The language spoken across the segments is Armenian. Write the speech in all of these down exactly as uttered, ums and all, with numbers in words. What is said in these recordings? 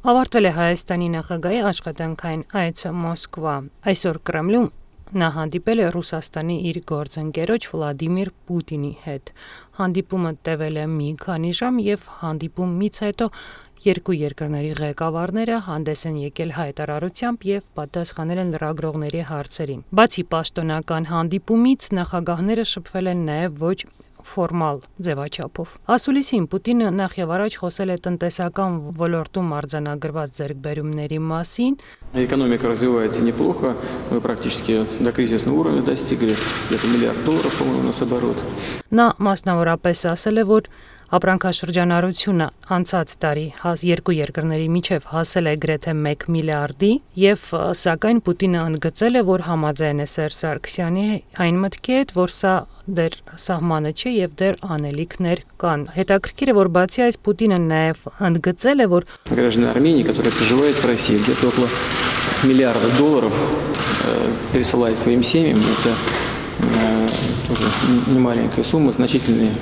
Ավարտվել է Հայաստանի նախագահի աշխատանքային այցը Մոսկվա։ Այսօր Կրեմլում նա հանդիպել է Ռուսաստանի իր գործընկերոջ Վլադիմիր Պուտինի հետ։ Հանդիպումը տևել է մի քանի ժամ եւ հանդիպումից հետո երկու երկրների ղեկավարները հանդես են եկել հայտարարությամբ եւ պատասխանել են լրագրողների հարցերին։ Բացի պաշտոնական հանդիպումից նախագահները շփվել են նաեւ ոչ ֆորմալ ձևաչափով։ Ասուլիսին Պուտինը նախ եւ առաջ խոսել է տնտեսական ոլորտում արձանագրված ձեռքբերումների մասին։ Экономика развивается неплохо, мы практически до кризисного уровня достигли, где-то миллиард долларов, по-моему, у нас оборот. Նա մասնավորապես ասել է, որ ապրանքաշրջանառությունը անցած տարի երկու երկրների միջև հասել է գրեթե մեկ միլիարդի եւ սակայն Պուտինը ընդգծել է, որ համաձայն է Սերժ Սարգսյանի այն մտքի հետ, որ սա դեռ սահմանը չէ եւ դեռ անելիքներ կան։ Հետաքրքիր է, որ բացի այս Պուտինը նաեւ ընդգծել է, որ Граждане Армении, которые проживают в России, где-то около миллиарда долларов пересылают своим семьям, это тоже немаленькая сумма, значительная.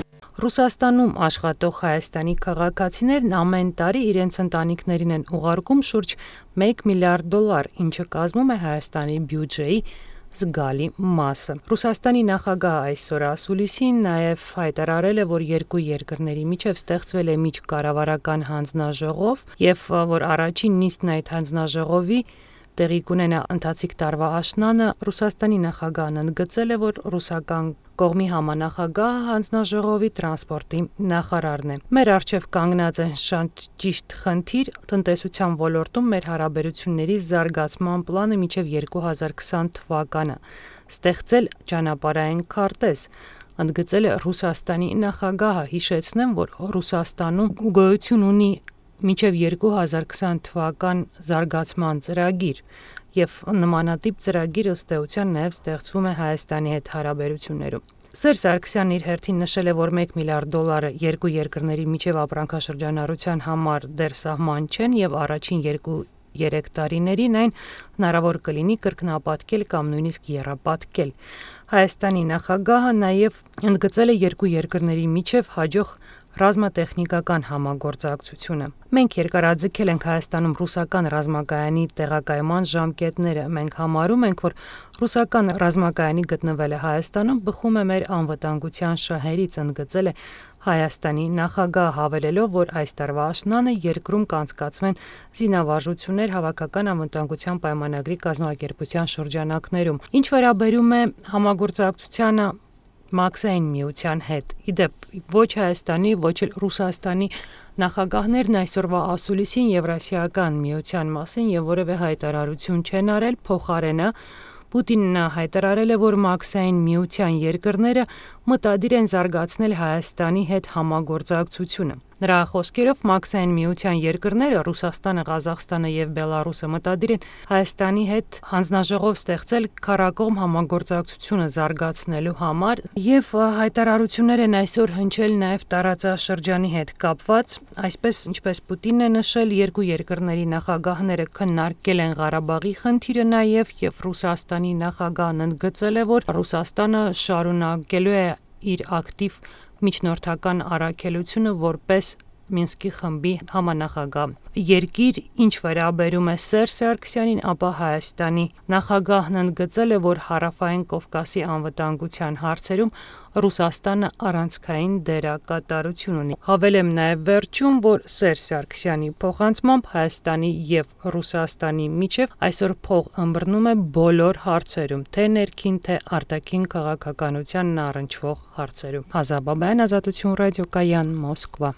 Ռուսաստանում աշխատող Հայաստանի քաղաքացիներն ամեն տարի իրենց ընտանիքներին են ուղարկում շուրջ մեկ միլիարդ դոլար, ինչը կազմում է Հայաստանի բյուջեի զգալի մասը։ Ռուսաստանի նախագահը այսօր ասուլիսին նաև հայտարարել է, որ երկու երկրների միջև ստեղծվել է միջկառավարական հանձնաժողով եւ որ առաջին նիստն այդ հանձնաժողովի տեղի կունենա ընթացիկ տարվա աշնանը։ Ռուսաստանի նախագահն ընդգծել է, որ ռուսական կողմի համանախագահը հանձնաժողովի տրանսպորտի նախարարն է։ Մեր առջև կանգնած է շատ ճիշտ խնդիր տնտեսության ոլորտում մեր հարաբերությունների զարգացման պլանը մինչև երկու հազար քսան թվականը ստեղծել ճանապարհային քարտեզ, ընդգծել է Ռուսաստանի նախագահը։ Հիշեցնեմ, որ Ռուսաստանում գոյություն ունի մինչև երկու հազար քսան թվական զարգացման ծրագիր եւ նմանատիպ ծրագիր ըստ էության նաեւ ստեղծվում է Հայաստանի հետ հարաբերություններում։ Սերժ Սարգսյանն իր հերթին նշել է, որ մեկ միլիարդ դոլարը երկու երկրների միջև ապրանքաշրջանառության համար դեռ սահման չեն եւ առաջին երկու երեք տարիներին այն հնարավոր կլինի կրկնապատկել կամ նույնիսկ եռապատկել։ Հայաստանի նախագահը նաեւ ընդգծել է երկու երկրների միջև հաջող ռազմատեխնիկական համագործակցությունը։ Մենք երկարաձգել ենք Հայաստանում ռուսական ռազմակայանի տեղակայման ժամկետները։ Մենք համարում ենք, որ ռուսական ռազմակայանի գտնվելը Հայաստանում բխում է մեր անվտանգության շահերից, ընդգծել է Հայաստանի նախագահը, հավելելով, որ այս տարվա աշնանը երկրում կանցկացվեն զինավարժություններ հավաքական անվտանգության պայմանագրի կազմակերպության շրջանակներում։ Ինչ վերաբերում է համագործակցությանը Մաքսային միության հետ։ Իդեպ ոչ Հայաստանի, ոչ էլ Ռուսաստանի նախագահներն այսօրվա ասուլիսին Եվրասիական միության մասին եւ որևէ հայտարարություն չեն արել, փոխարենը Պուտինն հայտարարել է, որ Մաքսային միության երկրները մտադիր են զարգացնել Հայաստանի հետ համագործակցությունը։ Նրա խոսքերով Մաքսային միության երկրները Ռուսաստանը, Ղազախստանը եւ Բելարուսը մտադիր են Հայաստանի հետ հանձնաժողով ստեղծել քառակողմ համագործակցությունը զարգացնելու համար եւ հայտարարություններ են այսօր հնչել նաեւ տարածաշրջանի հետ կապված, այսպես ինչպես Պուտինն է նշել, երկու երկրների նախագահները քննարկել են Ղարաբաղի խնդիրը նաեւ եւ Ռուսաստանի նախագահն ընդգծել է, որ Ռուսաստանը շարունակելու է իր ակտիվ միջնորդական առաքելությունը որպես Մինսկի խմբի համանախագահ։ Երկիր ինչ վերաբերում է Սերժ Սարգսյանին, ապա Հայաստանի նախագահն ընդգծել է, որ Հարավային Կովկասի անվտանգության հարցերում Ռուսաստանը առանցքային դերակատարություն ունի։ Հավելեմ նաև վերջում, որ Սերժ Սարգսյանի փոխանցմամբ Հայաստանի եւ Ռուսաստանի միջև այսօր փող ըմբռնում է բոլոր հարցերում, թե ներքին, թե արտաքին քաղաքականությանն առնչվող հարցերում։ Ազատություն ռադիոկայան, Մոսկվա։